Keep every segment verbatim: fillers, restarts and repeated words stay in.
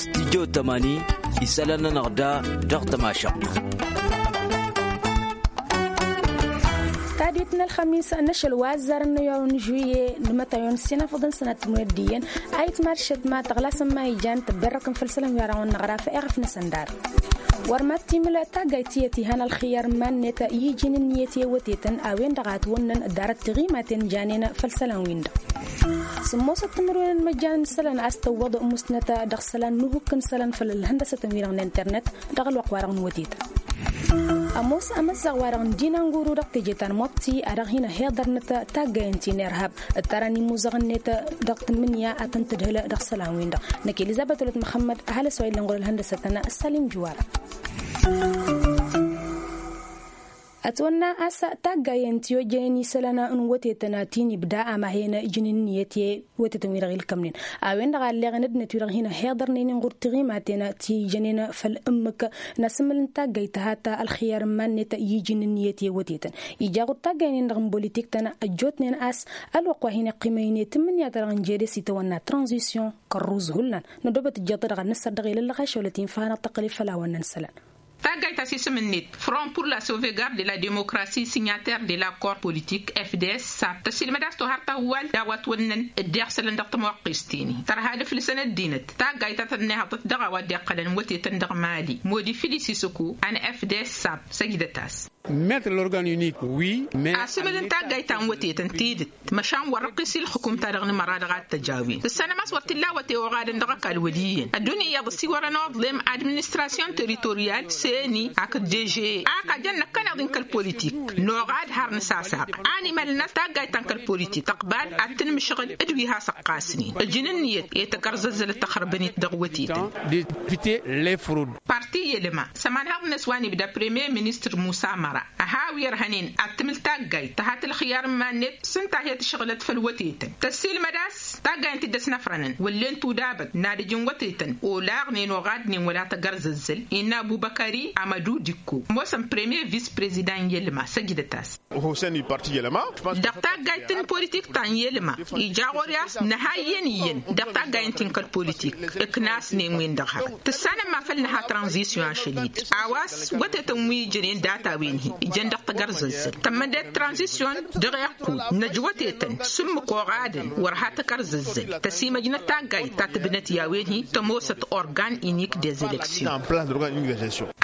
Stijjo tămani isălan-nănăɣ da dăɣ-tămašăɣt. Tadwit n-ălxămis n-ašăl wa ăzzarăn n-ayăru n-žuye d-mătăyon s-inafăḍăn sănat timǝnăt d-iyyăn a itmaršăt ma tăɣlasăn ma ijan tăbberrăkăn făll-isălan wi arăɣ wănnăɣ rafa iɣăf n-asăndar. Wăr mad-timǝl taggayt tiyyăt ihan ălxiyăr n-iman-net i-iji n-ǝnniyăt i-wătetăn a-wen-dăɣ a ătwănnăn dd-arăt tiɣimaten janen făll-isălan-win-dăɣ. Sǝmmosăt timǝrwen n-imăjjan n-isălan a-s tăwwăḍ musnăt dăɣ-isălan n-uhǝk n-isălan făll-ălhăndăsătăn-wi-dăɣ n-internet dăɣ-ălwăqq-wa-dăɣ n-wătetăn. Ămoos amăzzaɣ-wa-dăɣ n-dinanguru dăɣ-teje ta n-mobti a dăɣ-hin-ăhiḍărnăt taggayăn ti n-irhab ǝttarăn imuzăɣ-net dăɣ-tǝmmǝnǝya a tăn-tǝdhǝl dăɣ-isălan-win-dăɣ. Năkk elizăbet wălăt măxămmăd ăhalǝs wa illăn ɣur-ălhăndăsătăn sălim juwara. Ătwănna a-s taggayăn ti ojjănen isălan n-wătetăn ti n-ibda amahen ǝjǝn ǝnniyăt i-wătetăn-wi-dăɣ ilkămnen a-wen-dăɣ a ălleɣen ăddinăt-wi-dăɣ hin-ăhiḍărnen inɣur tiɣimaten ti ijănen făll-ǝmmǝk n-asǝmmǝl n-taggayt tăhat ălxiyar n-iman-net i-iji n-ǝnniyăt i-wătetăn. Ija ɣur-taggaynen-dăɣ n-bolitiktăn ăjjootnen a-s ălwăqq wa hin-iqqimăynen tǝmmǝnǝya-ta-dăɣ n-jere s-itawănna tranzisyon kărruz hullan. Nădobăt ǝjjeḍ-i-dăɣ ad-nǝssăr dăɣ-elăllăɣ ašăwălăt infa hanăɣ-tăqqăl i-făll-a-wa ǝnnăn isălan. Taggayt ta s-isǝm-net front pour la sauvegarde de la démocratie signataire de l'accord politique fds sab tăsilmăd a-s tohar tahǝwwal d-a-wa ătwănnăn dd-iɣsălăn dăɣ-tămwăqqist-in-i tărha d-aflǝsăn ăddinăt. Taggayt ta tănnihăḍăt dăɣ-a-wa dd-iqqălăn wătetăn dăɣ-mali modi filisis ǝkko a n-fds sab săjdăt-as. Mettre l'organe unique wi. Asǝmǝl n-taggayt ta n-wătetăn tidǝt măšan wăr-ăqqis i-ǝlxǝkum-ta-dăɣ n-imăra dăɣ-ad-t-ăj a-wen tǝssanăm a-s wăr t-illa awăte oɣadăn dăɣ-ăkall wăl' iyyăn ăddunya iyyăḍ ăsiwărăn oḍlem administrasyon territoryal seni hakd deže ak ajăn năkkăneḍ-in kăl-politik. Noɣad har nǝsasaq animălnăt taggayt ta n-kăl-politik tăqbal ad-tǝnmǝšɣǝl d-wi has-ăqqasnen ǝjǝn ǝnniyăt i-tagărzăzzălăt tăxrăbăn-it dăɣ-wătetăn. Parti i-elma s-ămanhăḍ-net wa n-ibda premier ministăr musa măra ăha wi ărhănen ad-tǝmǝl taggayt tăhat ǝlxiyar n-iman-net s-ǝnta hi-tǝšɣǝlăt făll-wătetăn tăssiilmăd a-s taggayăn ti dd-ăsnăfrănăn wăllen tudabăt n-ad-ǝjǝn wătetăn olaɣnen oɣadnen wăla tăgărzăzzăl innă ăbubăkări amădu dikko ămoosăn premier vis-prezidant n-elma săjdăt-as. Dăɣ-taggayt n-politik ta n-elma ija ɣur-i a-s nǝha iyyăn iyyăn dăɣ-taggayt-in kăl-politik ǝknasnen-wen-dăɣ hărăt tǝssanăm ma făl nǝha tranzisyon ašăl-i-dd a-wa s-wătetăn wi ǝjănen data-wen-hi ǝjăn dăɣ-tagărzăzzăl tămmăndet tranzisyon dăɣ-iqqud năj wătetăn s-ǝmmǝk oɣadăn wăr ha tagărzăzzăl tăsimăjnăt taggayt ta tǝbnăt i-a-wen-hi tămoosăt organ inik des eleksyon.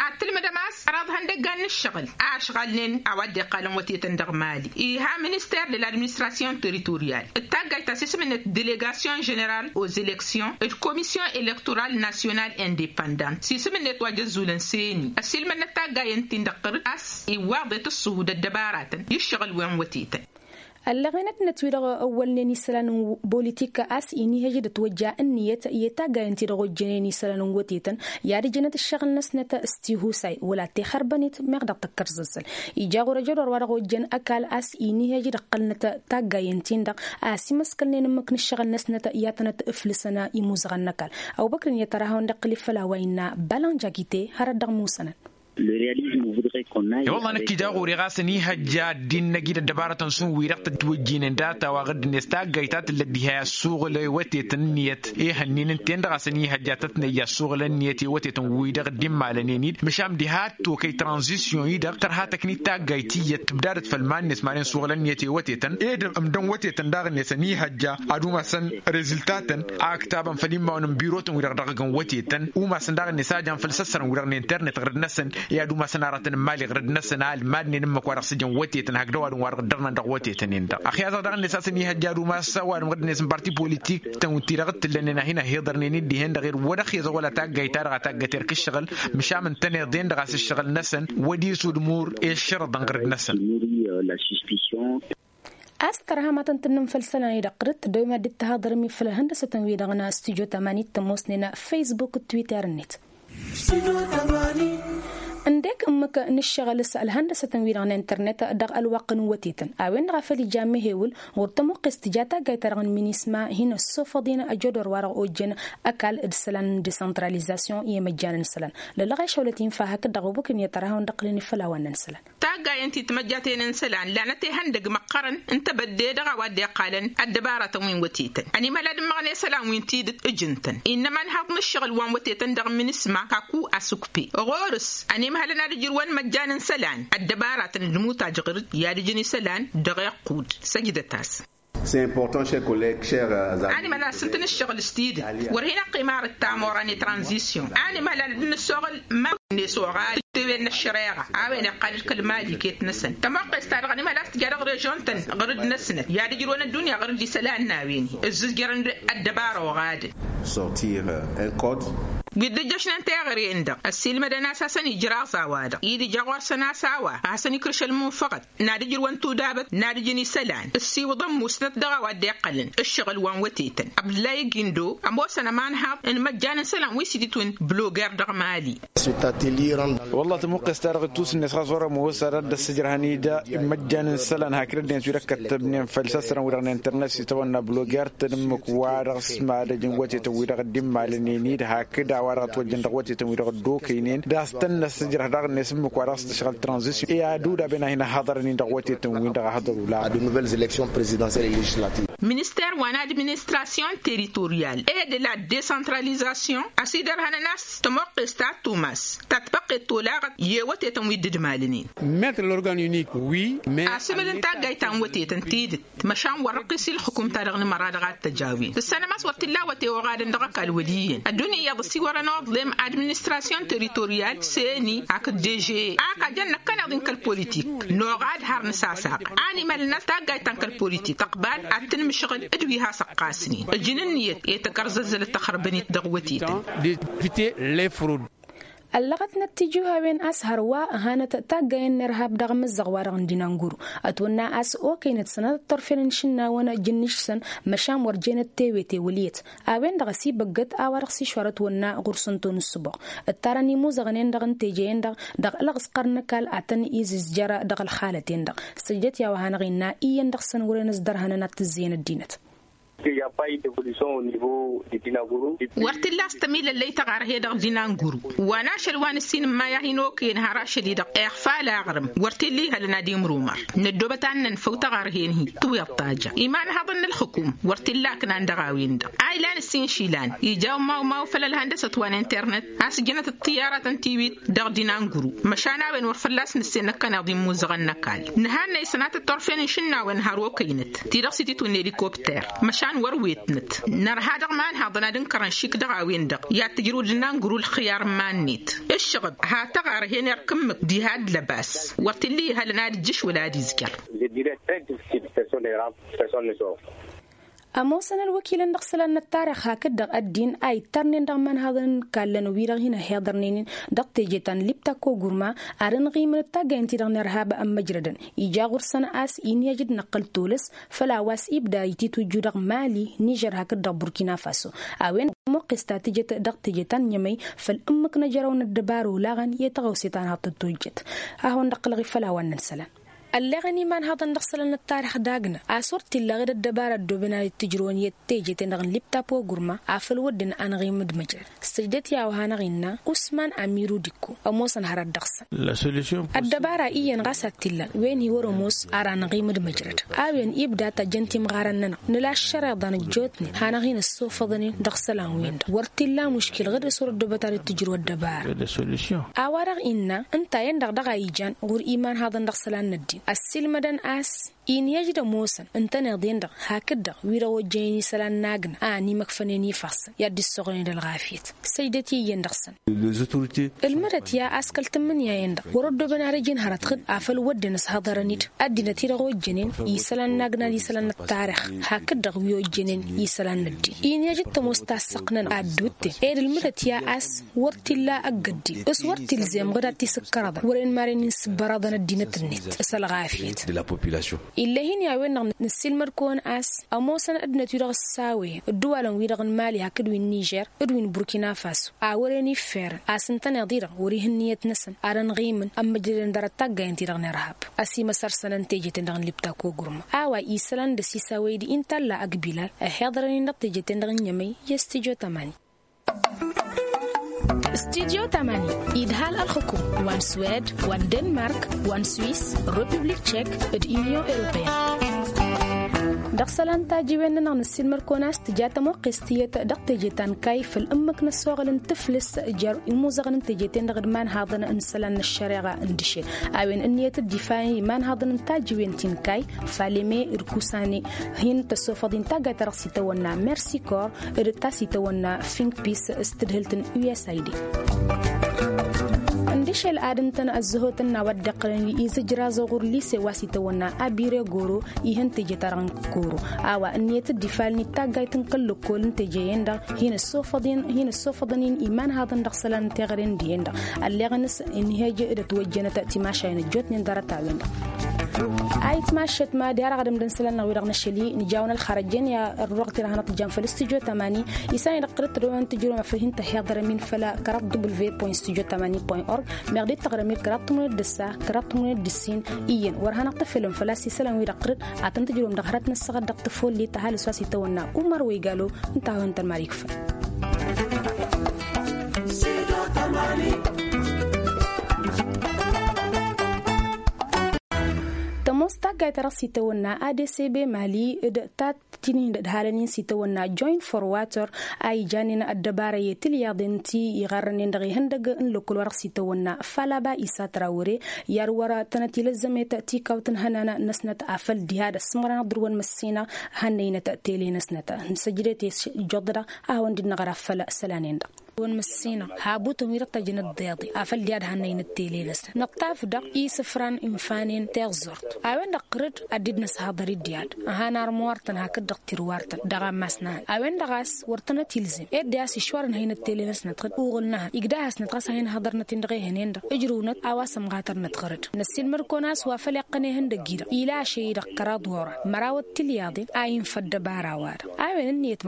Ad-tǝlmǝdăm a-s ăraḍ ihăndăggan n-ǝššăɣǝl a ăšɣalnen a-wa dd-iqqalăn wătetăn dăɣ-mali iha minister de l'administrasyon territoryal d-taggayt ta s-isǝm-net delegasyon ženeral aux eleksyon d-komisyon elektoral nasyonal independant s-isǝm-net wa jăzzulăn seni ăsilmănăt taggayăn-tin-dăɣ ɣur-dd a-s iwwaḍet ǝṣṣuhu d-ăddăbaratăn i-ǝššăɣǝl wi n-wătetăn. Ălleɣen ăddinăt-wi-dăɣ ăwwălnen isălan n-bolitik a-s inihăj d-ătwăjja ǝnniyăt i-taggayăn-ti-dăɣ ojjănen isălan n-wătetăn i-ad-ǝjǝnăt ǝššăɣǝl-năsnăt s-tihusay wăla t-ixărbăn-it meɣ dăɣ-tăkkărzăzzăl. Ija ɣur-ăjădor wa dăɣ-ojjăn ăkall a-s inihăj d-ăqqălnăt taggayăn-tin-dăɣ a ăsimăskălnen ǝmmǝk n-ǝššăɣǝl-năsnăt i-ad-tănăt-ǝflǝsăn imuzăɣăn n-ăkall. Ăbubăkr-in i-ad-tărahawăn d-iqqǝl-i făll-a-wa innă balan jakite hărăt dăɣ-musănăn. I-wălla năkk ija ɣur-i ɣas ănihăjja ăddin-năj-i d-ăddăbarătăn šund wi-dăɣ tătwǝjjǝynen data-wa ɣǝddǝnet taggayt ta tǝllăt diha i-ăssuɣǝl i-wătetăn ǝnniyăt ihănnin ǝnta-en-dăɣ a-s ănihăjja tătnăyya ăssuɣǝl ǝnniyăt i-wătetăn wi-dăɣ dd-immalănen-dd măšan diha t-okăy tranzisyon-i-dăɣ tărha tăknit taggayt tiyyăt tǝbdadăt făll-iman-net manen suɣǝl ǝnniyăt i-wătetăn ed ǝmdăn wătetăn daɣ-net ănihăjja ad-umasăn reziltatăn a ǝktabăn făll-immawăn n-birotăn-wi-dăɣ dăɣ-ăgg n-wătetăn umasăn daɣ-net a jan făll-săssărăn-wi-dăɣ n-internet ɣǝrǝd-năsăn i-ad-umasăn aratăn n-imali ɣǝrǝd-năsăn a ălmadnen ǝmmǝk wa dăɣ-s ǝjăn wătetăn hakd ăwadǝm wa dăɣ-ǝddărnăn dăɣ-wătetăn-en-dăɣ ăxyaẓăɣ daɣ-net a-s ănihăjja ad-umas ăwadǝm ɣǝrǝd-net n-parti politik-tăn ti-dăɣ t-tǝllănen a hin-ăhiḍărnen-dd dihen-dăɣ irwăd ăxyăẓăɣ wăla taggayt-ta-dăɣ a taggater kǝššăɣǝl măšan ǝntăneḍ-en-dăɣ a-s ǝššăɣǝl-năsăn wăr dd-isudmur i-ǝššărăḍăn ɣǝrǝd-năsăn. A-s tărha ma tăn-tǝnnǝm făll-isălan-i-dăɣ ɣǝrǝt tăddoy mad-dd-tăhaḍărăm i-făll-ihăndăsătăn-wi-dăɣ n-studyo tămanin tămoosnen facebook d-twitter-net. Ǝndek ǝmmǝk n-ǝššăɣǝl s-ălhăndăsătăn-wi-dăɣ n-internet dăɣ-ălwăqq n-wătetăn a-wen-dăɣ a făl ija mehewǝl ɣur-tămoqqest tija taggayt-ta-dăɣ n-minisma hin-ăssofăḍ-in ajădor wa-dăɣ ojjăn ăkall d-isălan n-decentralizasyon i-imăjjan n-isălan. Lălăɣ i-ašăwlăt infa hakd-dăɣ obăkăn i-tărahăwăn d-ăqqǝlăn i-făll-a-wa n-isălan. Taggayăn ti timăjjaten n-isălan lanăt ihăndăg măqqărăn n-tebădde dăɣ-a-wa dd-iqqalăn ăddăbaratăn wi n-wătetăn ănimhăl ad-ǝmmăɣnen isălan wi n-tidǝt ǝjǝn-tăn innă imanhaḍ n-ǝššăɣǝl wa n-wătetăn dăɣ-minisma kaku asukpe ɣur-s ănimhălăn ad-ǝjrǝwăn imăjjan n-isălan ăddăbaratăn d-imutaj ɣǝr-dd i-ad-ǝjǝn isălan dăɣ-iqqud. Săjdăt-as. Animăl a-s ǝntăn ǝššăɣǝl s-tidǝt wăr hin-ăqqim arăt tamorra n-itranzisyon. Animăl ad-dd-nǝssoɣăl ma n-esoɣal tewel n-ăššăreɣa a-wen iqqal d-kăl-mali iket-năsăn tămoqqes-ta-dăɣ animăl a-s tǝja dăɣ-režon-tăn ɣǝr-dd-năsnăt i-ad-ǝjrǝwăn ăddunya ɣǝr-dd isălan n-a-wen-hi ǝzzǝzjărăn d-ăddăbara oɣadăn. Wi dd-ǝjjăšnăn teɣăre-en-dăɣ ăssiilmădăn a-s hasăn-ijraẓ a-wa-dăɣ i-dd-ija ɣur-săn a-s a-wa hasăn-ikrǝš ălmunfăɣăt n-ad-ǝjrǝwăn tudabăt n-ad-ǝjǝn isălan ǝssiwǝḍăn musnăt dăɣ-a-wa dd-iqqălăn ǝššăɣǝl wa n-wătetăn. Abdǝllahi gindo ămoosăn ămanhaḍ n-imăjjan n-isălan wi s-ititwǝn bloger dăɣ-mali. Wălla tămuqqes-ta-dăɣ ittusǝnnes ɣas wăr-ămoos ad-dd-ăssǝjrăhăn-dd imăjjan n-isălan hakd ăddinăt wi-dăɣ kăttăbnen făll-săssărăn wi-dăɣ n-internet s-itawănna bloger-tăn ǝmmǝk-wa-dăɣ s-madăj n-wătetăn wi-dăɣ dd-immalănen-dd hakd a-wa-dăɣ ătwăjjăn dăɣ-wătetăn wi-dăɣ ăddokăynen d-a-s tăn-năssǝjrăh daɣ-net ǝmmǝk-wa-dăɣ s-tǝšɣǝl tranzisyon i-ad-udaben a hin-ăhhăḍărăn-in dăɣ-wătetăn-win-dăɣ a hăḍăr ula. Minister wa n-administrasyon teritoryal e de la decentralizasyon a-s idărhănăn a-s tămoqqes ta tumas ta tpăqqet tolaɣăt i-ewătetăn wi dd-malnen. Metr lorgan unik wi. Asǝmǝl n-taggayt ta n-wătetăn tidǝt măšan wăr-răqqis i-ǝlxǝkum-ta-dăɣ n-imăra dăɣ-ad-t-ăj a-wen tǝssanăm a-s wăr t-illa awăte oɣadăn dăɣ-ăkall wăl' iyyăn ăddunya iyyăḍ ăsiwărăn oḍlem administrasyon teritoryal seni hakd deže ak ajăn năkkăneḍ-in kăl-politik. Noɣad har nǝsasaq animălăn a-s taggayt ta n-kăl-politik tăqbal ad-tǝnmǝšɣǝl d-wi has-ăqqasnen ǝjǝn ǝnniyăt i-tăkărzăzzălăt tăxrăbăn-it dăɣ-wătetăn. Ăllăɣătnăt tijuhawen a-s hărwa ăhanăt taggayen n-irhab dăɣ-amǝzzăɣ-wa-dăɣ n-dinanguru ătwănna a-s okăynăt sănatăt turfen n-išǝnnawăn jǝnnǝš-săn. Măšan wăr jenăt tewete wăl' iyyăt a-wen-dăɣ ăsibăggăt a-wa-dăɣ s-išwar ătwănna ɣur-săn tonu s-ăboɣ ǝttarăn imuzăɣnen-dăɣ n-teje-en-dăɣ dăɣ-ălɣǝsqăr n-ăkall ad-tăn-izǝzjăr dăɣ-ălxalăt-en-dăɣ. Săjdăt i-a-wa hanăɣ-innă iyyăn dăɣ-săn wăren ăsdărhănăn ad-t-ǝzzeyăn ăddinăt. Wăr t-illa a-s tămilăllăy tăɣarhe dăɣ-dinanguru wa n-ašăl wa n-ǝssin n-imay a hin-okăyăn har ašăl-i-dăɣ ixfa alaɣrǝm. Wăr t-illa ihălăn ad-imrumăr năddoobăt ad-nănfăw tăɣarhen-hi tǝwiḍ tajă imanhaḍăn n-ǝlxǝkum. Wăr t-illa aknan dăɣ-a-wen-dăɣ a ilan ǝssin išilan ija umawmaw făll-ălhăndăsăt wa n-internet a-s ǝjnăt ăṭṭiyaratăn tiwit dăɣ-dinanguru. Măšan a-wen wăr fălla-s nǝssen năkkăneḍ immuzăɣăn n-ăkall nǝhannăy sănatăt turfen n-išǝnnawen har okăynăt ti-dăɣ s-ititwǝnne elikopter. Măšan wăr-wetnăt nărha dăɣ-imanhaḍăn ad-ǝnkărăn šik dăɣ-a-wen-dăɣ i-ad-tǝjrǝw dinanguru ǝlxǝyar n-iman-net. Ǝššăɣăb ha tăɣarhen irk ǝmmǝk diha d-lăbas. Wăr t-illa ihălăn ad-ǝjjǝš wăla ad-izjăr. Ămoosăn ălwăkilăn dăɣ-isălan n-ăttarix hakd-dăɣ ăddin a ittărnen dăɣ-imanhaḍăn n-kallăn wi-dăɣ hin-ăhiḍărnen-in dăɣ-teje ta n-lipta kogurma. Ad-ănɣimǝn d-taggayăn-ti-dăɣ n-irhab ămmăjrădăn ija ɣur-săn a-s inǝyăj d-inăqqǝl tolăs făll-a-wa s-ibda ititwǝjju dăɣ-mali nižer hakd-dăɣ burkina faso. A-wen-dăɣ tămoqqes ta tǝjăt dăɣ-teje ta n-inyămăy făll-ǝmmǝk n-ejăraw n-ăddăbar olaɣăn i-tăɣawse ta n-haḍ tătojjăt. Ad-hawăn-dd-ăqqǝlăɣ i-făll-a-wa n-isălan. Ălleɣăn imanhaḍăn dăɣ-isălan n-ăttarix dagnă a-s wăr t-illa ɣǝd ăddăbara ăddooben ad-dd-tǝjrǝwăn i-teje-ten-dăɣ n-lipta pogurma. Afăl wădden anɣimǝd măjrăd săjdăt i-a-wa hanăɣ-innă usman amiru dikko. Ămoosăn hărăt dăɣ-săn ăddăbara iyyăn ɣas ad-t-illan wen-hi wăr-ămoos ar anɣimǝd măjrăd. A-wen ibda tajjăn timɣarăn-nănăɣ nǝla ăššăreḍa nǝjjootnen hanăɣ-hin-ăssofăḍăn-in dăɣ-isălan-win-dăɣ wăr t-illa muškil ɣǝd s-wăr ăddoobăt ad-dd-tǝjrǝw ăddăbara. A-wa-dăɣ innă ǝnta-en-dăɣ dăɣ-a ijan ɣur-imanhaḍăn dăɣ-isălan n-ăddin ăssiilmădăn a-s inǝyăj d-ămoosăn ǝntăneḍ-en-dăɣ hakd-dăɣ wi-dăɣ ojjănen isălan n-agnă a ănimăkfănen ifassăn i-ad-dd-issoɣnen d-ălɣafyăt. Săjdăt i-iyyăn dăɣ-săn ǝlmǝdăt ya a-s kăl-tǝmmǝnǝya-en-dăɣ wăr-ăddoobăn ad-ăjǝn hărăt ɣǝd afăl wădden ăshăḍărăn-dd ăddinăt-i-dăɣ ojjănen isălan n-agna d-isălan n-ăttarix hakd-dăɣ wi ojjănen isălan n-ăddin. Inǝyăj d-tămoos tassăɣt-nănăɣ ad-dd-utten ed ǝlmǝdăt ya a-s wăr t-illa ăgg-ăddin s-wăr t-ilzem ɣǝd ad-t-isǝkkărăḍăn wăren maren-in sǝbbărăḍăn ăddinăt-net s-ălɣafyăt. Ill'-e hin-i a-wen-dăɣ nǝssilmăd-kăwăn a-s ămoosăn ăddinăt-wi-dăɣ ǝssawăyăn ădduwalăn-wi-dăɣ n-mali hakd wi n-nižer d-wi n-burkina faso a wăren iffărăn a-s ǝntăneḍ-i-dăɣ wăr-ih ǝnniyăt-năsăn ad-ănɣimǝn ămmǝjrădăn dăr-ăttaggayăn-ti-dăɣ n-irhab. Ăsimăsăr-săn n-teje-ten-dăɣ n-libta kogurma a-wa isălan d-ăsisawăy-dd intalla ăgbilal ăhiḍărăn-in dăɣ-teje-ten-dăɣ n-inyămăy i-studyo tamani. Studyo tamani idhal ălxukum wa n-swed wa n-denmark wa n-swis, republik tšek d-inyon europeyăn. Dăɣ-isălan tajiwen-nănăɣ nǝssilmăr-kăwăn a-s tǝja tămoqqes tiyyăt dăɣ-teje ta n-kayy făll-ǝmmǝk n-ăssoɣăl n-tǝflǝs jer-imuzăɣăn n-teje-ten-dăɣ d-imanhaḍăn n-isălan n-ăššăreɣa n-dǝšel. A-wen ǝnniyăt dd-ifalăn imanhaḍăn n-tajiwen ti n-kayy faleme d-kusane. Hin-tăssofăḍ-in taggayt ta dăɣ-s itawănna mersikor d-ta s-itawănna fingpis s-tǝdhǝlt n-usaid. Ǝndǝšel ad-ǝntăn ăzzăhotăn n-a-wa dd-iqqălăn izǝjraẓ ɣur-lise wa s-itawănna abire goro. Ihăn teje-ta-dăɣ n-koro a-wa ǝnniyăt dd-ifalăn-dd taggayt n-kăl-lăkkol n-teje-en-dăɣ hin-ăssofăḍăn-in imanhaḍăn dăɣ-isălan n-teɣăre n-dihen-dăɣ. Ălleɣăn s-inhăj d-ătwăjjănăt timašayen ăjjootnen dăr-ătawen-dăɣ. Ayǝtmašăt ma d-i-ad-ăɣdǝm d-ǝnsălan-năɣ wi-dăɣ n-ašăl-i nǝja-wăn ălxărăjăn i-ărruɣăt-i-dăɣ hanăt-jan făll-studyo tamani. Isălan-i-dăɣ qărǝt tădăwăn tǝjrǝwăm afăl hin-tăhiḍărăm-in făll-kăraḍ w point studyo tamani point org. Meɣ dd-tăɣrăm-dd kăraḍ tǝmrǝwnet d-ǝssa kăraḍ tǝmrǝwnet d-ǝssin iyyăn wăr hanăɣ-tăfelăm făl-a-s isălan-wi-dăɣ qărǝt ad-tăn-tǝjrǝwăm dăɣ-hărăt n-ǝssăɣăt dăɣ-tăfollit ăhalǝs wa s-itawănna umăr wa igalo. Ǝnta a hawăn-tăn marikfăn. Tămoos taggayt ta dăɣ-s itawănna adcb mali d-tat tinihin d-ădhalăn-in s-itawănna joint for water a ijanen ăddăbara i-tilyaḍen ti iɣarrănen dăɣ-ihăndăg n-lăkkăl wa dăɣ-s itawănna falaba isatra wăre. I-ad-wăr tănăt-ilăzzămet tikawt n-ihănan năsnăt afăl diha d-ăssumărăn ad-dăr-wăn măssinăɣ hannăynăt tele-năsnăt. Nǝsăjdet i-s ijjuḍădăɣ a hawăn-dd-năɣra făll-isălan-en-dăɣ. Wăn măssinăɣ habutăn wi dăɣ-tăjjăn ăḍḍeḍe afăl diha d-hannăynăt tele-năsnăt năṭṭaf-dăɣ isǝfran infanen tiẓẓurt. A-wen-dăɣ qărǝd ad-dd-nǝshăḍăr-dd i-ad-ăhan armăwartăn hakd-dăɣ tirwartăn dăɣ-ammas n-ad-a-wen-dăɣ a-s wăr tănăt-ilzem ed de-a-s išwar ǝnhăynăt tele-năsnăt ɣǝd uɣǝl n-ehăn igdahăsnăt ɣas a hin-hăḍărnăt-in dăɣ-ehăn-en-dăɣ ǝjrǝwnăt a-wa sămɣatărnăt ɣărăd. Năssiilmăd-kăwăn a-s wa făl iqqăn ehăndăgg-i-dăɣ ila ašăy-i-dăɣ kăraḍ wăr-an măraw d-tilyaḍen a infă ăddăbara-wa-dăɣ. A-wen ǝnniyăt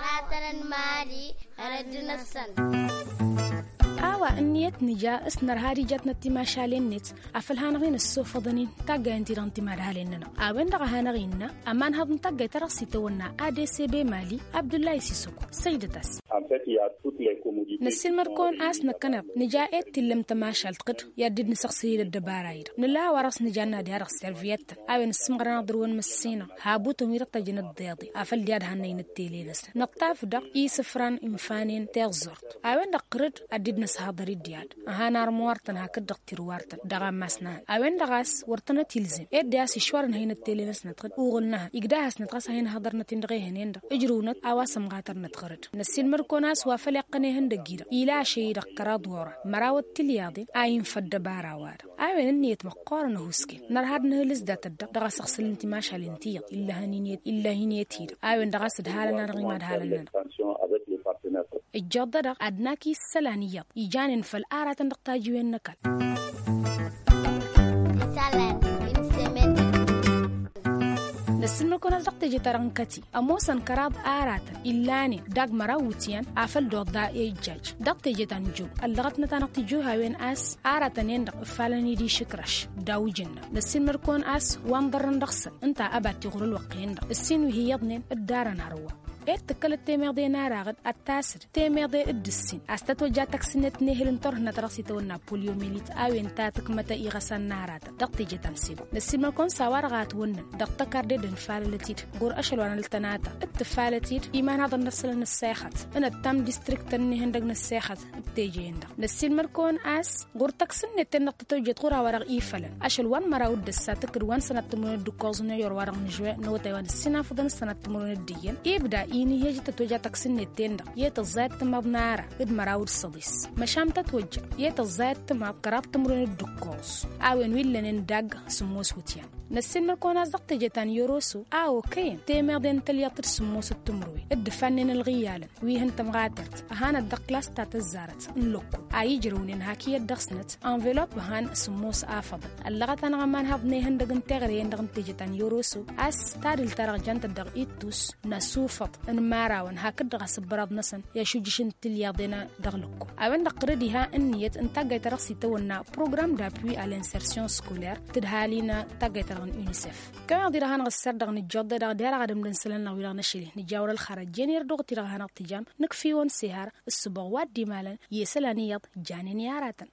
Aratăn n-mali ărădd-năsăn. A-wa ǝnniyăt nǝja s-nărha ad-ijatnăt timašalen-net afăl hanăɣ-in-ăssofăḍăn-in taggayen-ti-dăɣ n-timadhalen-nănăɣ. A-wen-dăɣ a hanăɣ-innă ămanhăḍ n-taggayt ta dăɣ-s itawănna adcb mali abdullahi sisoko. Săjdăt-as. Năssiilmăd-kăwăn a-s năkkăneḍ nǝja ed tillăm tămašalt ɣǝd i-ad-dd-nǝsăɣsǝl-dd ăddăbara-i-dăɣ nǝla a-wa dăɣ-s nǝja n-ad-i-ad-dăɣ serviyăttăn. A-wen ǝssǝmɣărăn ad-dăr-wăn măssinăɣ habutăn wi dăɣ-tăjjăn ăḍḍeḍe afăl diha d-hannăynăt tele-năsnăt năṭṭaf-dăɣ isǝfran infanen tiẓẓurt. A-wen-dăɣ qărǝd ad-dd-nǝshăḍăr-dd i-ad-ăhan armăwartăn hakd-dăɣ tirwartăn dăɣ-ammas n-ad-a-wen-dăɣ a-s wăr tănăt-ilzem ed de-a-s išwar ǝnhăynăt tele-năsnăt ɣǝd uɣǝl n-ehăn igdahăsnăt ɣas a hin-hăḍărnăt-in dăɣ-ehăn-en-dăɣ ǝjrǝwnăt a-wa sămɣatărnăt ɣărăd. Năssiilmăd-kăwăn a-s wa făl iqqăn ihăndăgg-i-dăɣ ila ašăy-i-dăɣ kăraḍ wăr-an măraw d-tilyaḍen a infă ăddăbara-wa-dăɣ. A-wen ǝnniyăt măqqoorăn ăhuusken nărha ad-nǝhǝlǝs dat-ăddeɣ dăɣ-asăɣsǝl n-timašalen ti iyyăḍ illa hin-iyyăt illa hin-iyyăt-i-dăɣ. A-wen-dăɣ a-s ǝdhalăn-anăɣ imadhalăn-nănăɣ. Ǝjjoḍ-dăɣ ad-nak isălan iyyăḍ ijanen făll-aratăn dăɣ-tajiwen n-ăkall. Năssiilmăd-kăwăn a-s dăɣ-teje-ta-dăɣ n-kăti ămoosăn kăraḍ aratăn illanen dag măraw wǝtyan afăl d-oḍa i-ijjaj. Dăɣ-teje ta n-jub ăllăɣătnăt-anăɣ tijuhawen a-s aratăn-en-dăɣ ǝffalăn-dd išǝkraš. Daw-ijǝnna năssiilmăd-kăwăn a-s wa n-ḍărrăn dăɣ-săn ǝnta ăbat tiɣur ălwăqq-en-dăɣ ǝssin wi hi-iyyăḍnen dd-arăn hărwa. Ed tǝkkălăt temeḍe n-ara ɣǝd ad-tasǝd temeḍe d-ǝssin a-s tătwăjja taksǝnnet n-ehǝl n-turhǝnna ta dăɣ-s itawănna polyomelit a-wen ta tǝkmăt iɣăsan n-aratăn dăɣ-teje ta n-sebo. Năssiilmăd-kăwăn s-a-wa-dăɣ a ătwănnăn dăɣ-tăkarde d-ănfalălăt-dd ɣur-ašăl wa n-ăltănata d-tǝfalăt-dd imanhaḍăn n-ăssălăn n-ăssexăt n-ăttam distriktăn n-ihăndăg n-ăssexăt d-teje-en-dăɣ. Năssiilmăd-kăwăn a-s ɣur-taksǝnnet-ten-dăɣ tătwăjjăt ɣur-a-wa-dăɣ ifălăn ašăl wa n-măraw d-ăssa tǝkkǝd wa n-sănat timǝrwen d-ǝkkoẓ n-ejăr-wa-dăɣ n-žuwen n-awătay wa n-ǝssin afǝḍăn s-sănat timǝrwen d-iyyăn ibda inihej tătwăja taksǝnnet-ten-dăɣ i-tăẓẓayăt timaḍ n-ara d-măraw d-săḍis. Măšan tătwăjja i-tăẓẓayăt timaḍ kăraḍ timǝrwen d-ǝkkoẓ a-wen wi ǝllănen dagg sǝmmos wǝtyan. Năssiinmăr-kăwăn-as dăɣ-teje ta n-yoroso a okăyăn temeḍe n-tălyaḍt d-sǝmmosăt timǝrwen dd-ǝfannen ălɣiyyalăn wi hăn tămɣatert ăhanăt dăɣ-klas ta tăzzarăt n-lăkkol a ijrăwnen hak iyyăt dăɣ-snăt. Envelop han sǝmmos afăḍăn ăllăɣăt-anăɣ ămanhăḍ n-ehăndăg n-teɣre-en-dăɣ n-teje ta n-yoroso a-s tadǝlt-ta-dăɣ jantăt dăɣ-ittus n-asufăḍ n-imărawăn hakd-dăɣ asǝbbăraḍ-năsăn i-ašujjǝš n-tilyaḍen dăɣ-lăkkol. A-wen-dăɣ tărăd iha ǝnniyăt n-taggayt-ta-dăɣ s-itawănna program d-appui a l'insertion scolaire tǝdhali n-taggayt-ta-dăɣ n-unicef. Kăwăn-dăɣ-i-dăɣ hanăɣ-ǝsser-dăɣ nǝjjoḍ-e-dăɣ d-e-dăɣ ad-ǝmdǝn isălan-năɣ wi-dăɣ năšăl-i nǝja wăr-ălxărăt jen irduɣ-t-i-dăɣ hanăɣ-tǝjam. Nǝkf'-iwăn s-ehăr ǝssǝboɣ wa dd-imalăn i-isălan iyyăḍ janen i-aratăn.